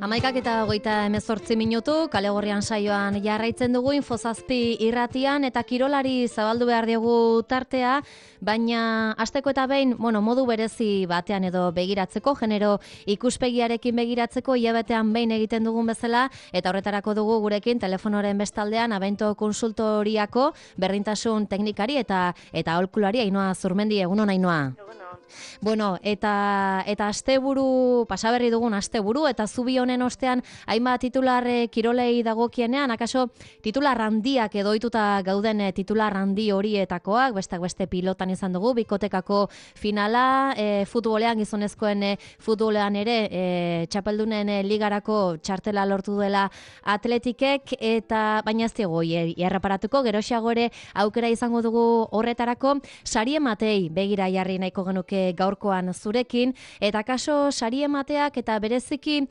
11:28 Kale Gorrian saioan jarraitzen dugu Infozazpi irratian eta kirolari zabaldu behar diegu tartea, baina hasteko eta behin, modu berezi batean edo begiratzeko, genero ikuspegiarekin begiratzeko hilabetean behin egiten dugun bezala, eta horretarako dugu gurekin telefonoren bestaldean Abento Konsultoriako berdintasun teknikari eta aholkulari Ainhoa Zurmendi. Egunon, Ainhoa. Bueno, eta asteburu, pasaberri dugun asteburu, eta zubi honen ostean hainbat titular kirolei dagokienean, akaso titular handiak edo ohituta gauden titular handi horietakoak, besteak beste pilotan izan dugu, bikotekako finala, futbolean, gizonezkoen futbolean ere, txapeldunen ligarako txartela lortu duela Atletikek, eta baina ez diego erreparatuko, geroxeago ere aukera izango dugu horretarako, sari ematei begira jarri nahiko genuke gaurkoan zurekin, eta kaso sari emateak eta bereziki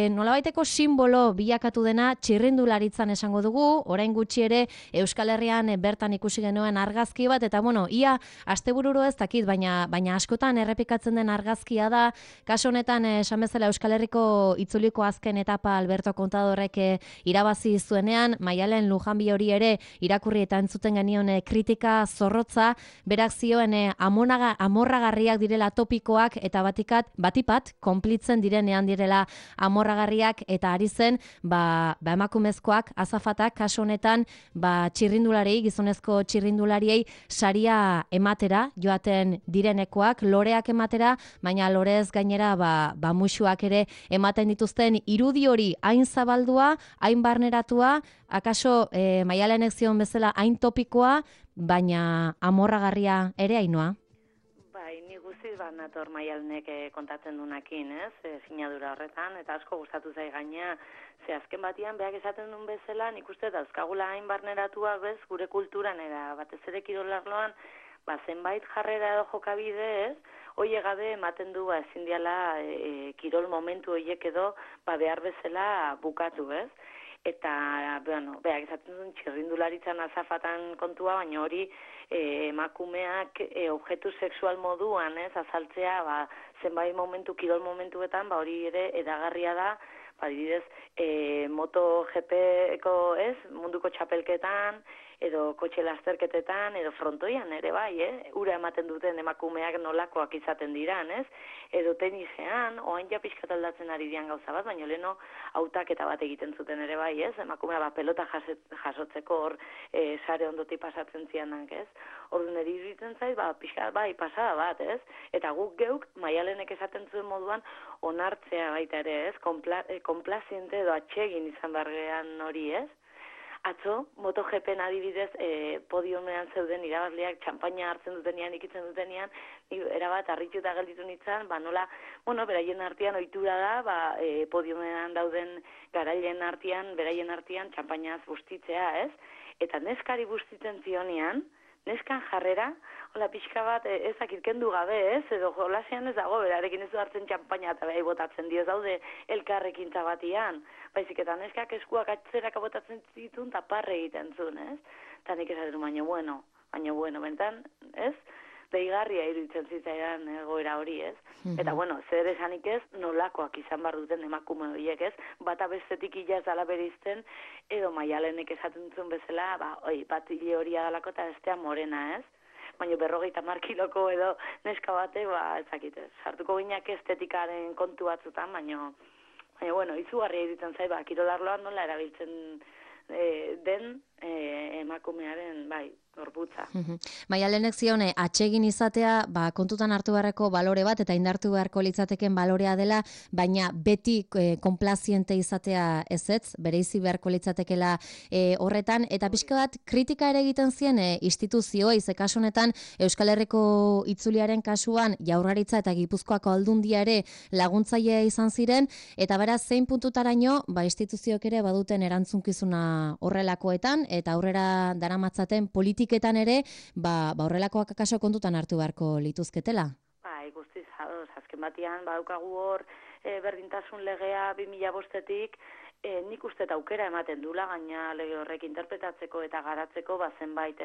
nolabaiteko simbolo bilakatu dena txirrindularitzan esango dugu, orain gutxi ere Euskal Herrian bertan ikusi genuen argazki bat, eta ia astebururo ez dakit, baina askotan errepikatzen den argazkia da, kaso honetan esan bezala Euskal Herriko itzuliko azken etapa Alberto Contadorrek irabazi zuenean, Maialen Lujanbi hori ere irakurri eta entzuten genion kritika zorrotza, berak zioen amorragarriak direla topikoak eta batipat konplitzen direnean direla amorragarriak, eta ari zen emakumezkoak, azafatak kaso honetan txirrindulariei, gizonezko txirrindulariei saria ematera joaten direnekoak, loreak ematera, baina lorez gainera musuak ere ematen dituzten irudi hori hain zabaldua, hain barneratua, akaso Maialenek zion bezala hain topikoa, baina amorragarria ere, Ainhoa? Ni guztiz bat nator Maialenek kontatzen dunakin, sinadura horretan, eta asko gustatu zai gaina, ze azken batian, beak esaten duen bezala, nik uste dauzkagula hain barneratua bez, gure kulturan, eta batez ere kirolarloan, zenbait jarrera edo jokabide, hoie gabe ematen du ezin diala kirol momentu hoiek edo behar bezala bukatu, Eta, beak esaten duen txirrindularitzan azafatan kontua, baina hori emakumeak objektu sexual moduan, azaltzea, zenbait momentu, kirol momentuetan, hori ere edagarria da, adibidez, MotoGP-eko, munduko txapelketan, edo kotxe lasterketetan, edo frontoian ere ura ematen duten emakumeak nolakoak izaten diran, edo tenisean, oain ja pixkat aldatzen ari dian gauza bat, baina leheno hautaketa bat egiten zuten ere emakumea pelota jasotzeko hor sare ondoti pasatzen zianak, Orduan eri iruditzen zait, pixkat pasada bat, Eta guk geuk, Maialenek esaten zuen moduan, onartzea baita ere, konplaziente edo atsegin izan bargean hori, Atzo, MotoGPen adibidez, podiumean zeuden irabazleak txampaina hartzen dutenean, ikitzen dutenean, erabat harrituta gelditu nintzen, nola, beraien artean ohitura da, podiumean dauden garailen artean, beraien artean txampainaz bustitzea, Eta neskari bustitzen zionean, neskan jarrera, hola pixka bat ezakit kendu gabe, edo jolasean ez dago, berarekin ez du hartzen txampaina eta behai botatzen dio, daude elkarrekin zabatian, baizik eta neskak eskuak atzeraka botatzen zituen eta parre egiten zuen, Eta nik esaten baina bueno, bentan, deigarria iruditzen zitzaidan egoera hori, Eta zer esanik nolakoak izan bar duten emakume horiek, bata bestetik ila ez dala berizten, edo Maialenek esaten zuen bezala, bat hile hori adalako eta bestea morena, Baina 50 kiloko edo neska bate, ezakitez. Sartuko gineak estetikaren kontu batzutan, baina izugarria iruditzen zait, kirolarloan nola erabiltzen den emakumearen, gorputza. Maialenek zion, atsegin izatea, kontutan hartu beharreko balore bat, eta indartu beharko litzateken balorea dela, baina beti konplaziente izatea ezetz, bereizi beharko litzatekela horretan, eta pixka bat kritika ere egiten zien instituzioa, kasu honetan Euskal Herriko itzuliaren kasuan Jaurlaritza eta Gipuzkoako Aldundia ere laguntzailea izan ziren, eta beraz zein puntutaraino, instituzioek ere baduten erantzunkizuna horrelakoetan, eta aurrera daramatzaten politiketan ere, horrelakoak akaso kontutan hartu beharko lituzketela. Guztiz, azken batian, daukagu hor berdintasun legea 2005-etik, nik uste aukera ematen dula, gaina lege horrek interpretatzeko eta garatzeko, zenbait,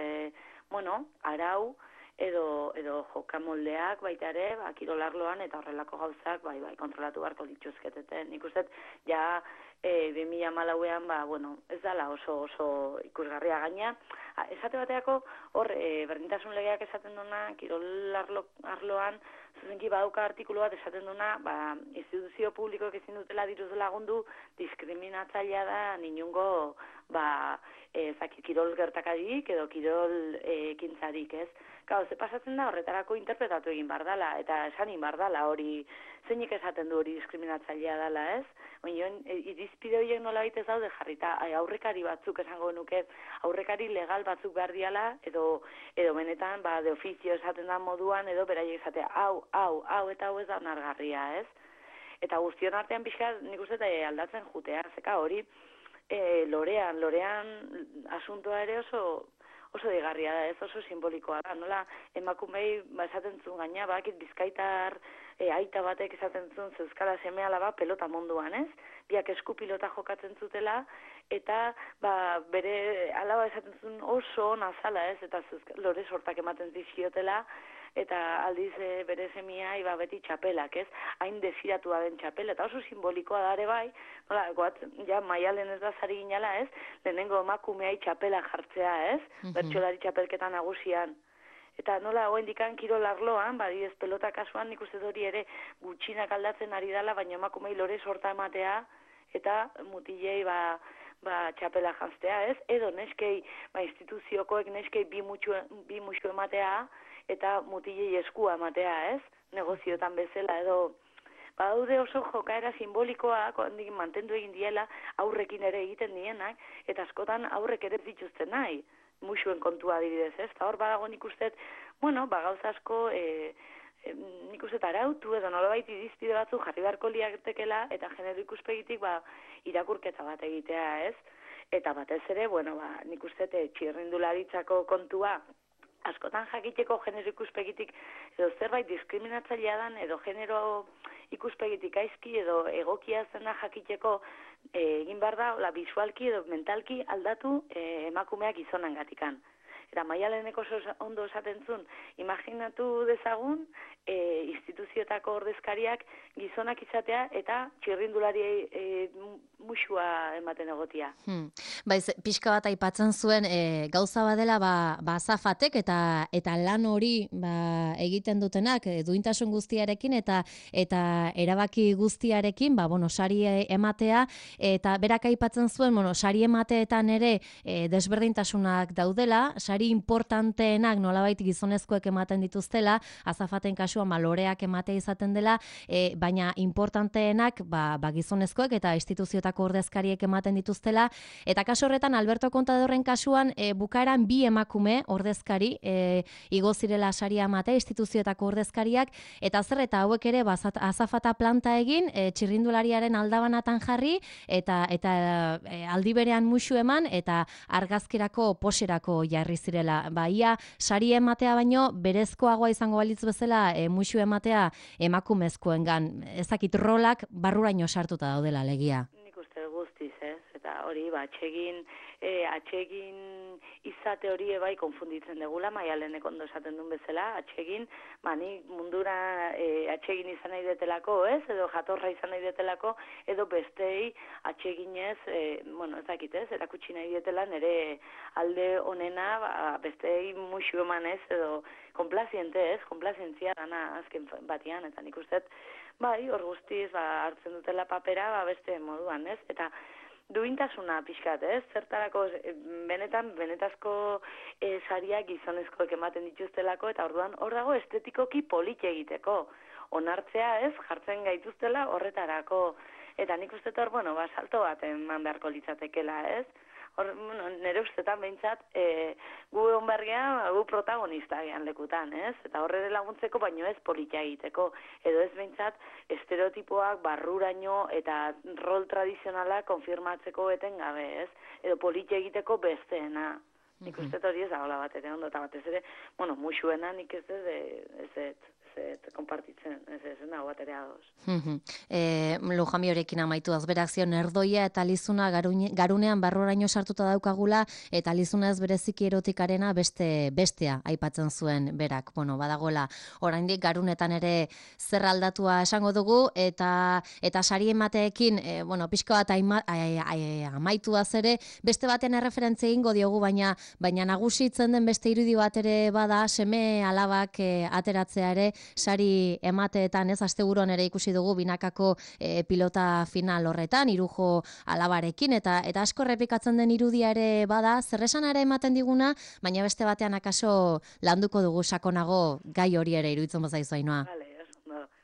arau, edo jokamoldeak baita ere, kirolarloan eta horrelako gauzak kontrolatu beharko dituzketeten. Nik uste, ja 2014an, ez dala oso ikusgarria gaina. Esate bateako, hor, berdintasun legeak esaten duna, kirolarloan, zuzenki badauka artikulu bat esaten duna, instituzio publikoek ezin dutela diruz lagundu, diskriminatzailea da inungo, kirol gertakarik edo kirol ekintzarik, ez? Gau, ze pasatzen da horretarako interpretatu egin bardala, eta esan egin bardala hori, zeinik esaten du hori diskriminatzailea dela, ez? Irizpide horiek nola ez daude jarrita, aurrekari batzuk esango nuke, aurrekari legal batzuk behar diala, edo benetan, de ofizio esaten da moduan, edo beraiek esatea, hau eta hau ez da onargarria, ez? Eta guztion artean pixka, nik uste aldatzen jutea, zeka hori, lorean asuntoa ere oso digarria da, ez oso simbolikoa da, nola emakumei esaten zuen gaina, bakit bizkaitar aita batek esaten zuen zeuskala seme alaba pelota munduan, ez? Biak esku pilota jokatzen zutela, eta bere alaba esaten zuen oso ona zala, ez? Eta lore sortak ematen zizkiotela, eta aldiz bere semiai beti txapelak, ez? Hain desiratua den txapela, eta oso simbolikoa da ere bai, nola, ja maialen ez da zari ginala, ez? Lehenengo emakumeai txapela jartzea, ez? Bertsolari txapelketan nagusian. Eta nola, dikan kirol arloan, badidez pelota kasuan, nik uste hori ere gutxinak aldatzen ari dela, baina emakumei lore sorta ematea, eta mutilei txapela janztea, ez? Edo neskei, instituziokoek neskei bi musu ematea, eta mutilei eskua ematea, ez? Negozioetan bezala, edo badaude oso jokaera simbolikoak, ondik mantendu egin diela, aurrekin ere egiten dienak, eta askotan aurrek ere dituzten nahi, musuen kontua adibidez, ez? Eta hor badago nik uste, gauza asko, nik uste arautu edo nolabait irizpide batzu jarri beharko liatekela, eta genero ikuspegitik irakurketa bat egitea, ez? Eta batez ere, nik uste txirrindularitzako kontua, askotan jakiteko genero ikuspegitik edo zerbait diskriminatzailea dan edo genero ikuspegitik aizki edo egokia zena jakiteko egin behar da, bisualki edo mentalki aldatu emakumeak gizonengatikan. Eta Maialeneko ondo esaten zuen, imaginatu dezagun instituzioetako ordezkariak gizonak izatea eta txirrindulari musua ematen egotia. Pixka bat aipatzen zuen gauza badela azafatek eta lan hori egiten dutenak duintasun guztiarekin eta erabaki guztiarekin sari ematea, eta berak aipatzen zuen sari emateetan ere desberdintasunak daudela, sari importanteenak nolabait gizonezkoek ematen dituztela, azafaten kasuan loreak ematea izaten dela, baina importanteenak gizonezkoek eta instituzioetako ordezkariek ematen dituztela, eta kasu horretan Alberto Contadorren kasuan bukaeran bi emakume ordezkari igo zirela saria ematea instituzioetako ordezkariak, eta zer eta hauek ere azafata planta egin, txirrindulariaren aldabanatan jarri, eta aldi berean musu eman, eta argazkirako poserako jarri zirela. Ia sari ematea baino berezkoagoa izango balitz bezala musu ematea emakumezkoengan. Ezakit rolak barruraino sartuta daudela alegia. Nik uste guztiz, ez? Eta hori, atsegin izate hori bai konfunditzen degula, Maialenek ondo esaten duen bezala, atsegin, nik mundura atsegin izan nahi detelako, ez? Edo jatorra izan nahi detelako, edo bestei atseginez, ezakit ez, erakutsi nahi detela nire alde onena, bestei musu emanez, edo konplaziente ez, konplazientzia dana azken batian, eta nik uste, hor guztiz, hartzen dutela papera, beste moduan, ez? Eta duintasuna pixkat, ez? Zertarako benetazko sariak gizonezkoek ematen dituztelako, eta orduan hor dago estetikoki polit egiteko. Onartzea, ez? Jartzen gaituztela horretarako. Eta nik uste hor, salto bat eman beharko litzatekela, ez? Nire ustetan behintzat, gu egon bergean, gu protagonista gehan lekutan, ez? Eta horre laguntzeko, baino ez politia egiteko. Edo ez behintzat, estereotipoak barruraino eta rol tradizionala konfirmatzeko eten gabe, ez? Edo politia egiteko besteena. Nik uste hori ez dagoela bat ere ondo, eta batez ere, musuena nik ez konpartitzen, ez nago baterea ados. Lujami horekin amaituaz, berak zion erdoia eta lizuna garunean barroraino sartuta daukagula, eta lizuna ez bereziki erotikarena bestea aipatzen zuen berak. Bueno, badagola, oraindik garunetan ere zer aldatua esango dugu, eta sari emateekin, pixko bat amaituaz ere, beste baten erreferentzia egingo diogu, baina nagusitzen den beste irudi bat ere bada, seme alabak ateratzea ere, sari emateetan, ez, asteburuan ere ikusi dugu binakako pilota final horretan, Irujo alabarekin, eta asko errepikatzen den irudia ere bada, zerresana ere ematen diguna, baina beste batean akaso landuko dugu sakonago gai hori ere iruditzen bazaizu, Ainhoa.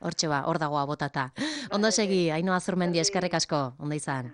Hortxe ba, hor dagoa botata. Ondo segi, Ainhoa Azurmendi, eskerrik asko, ondo izan.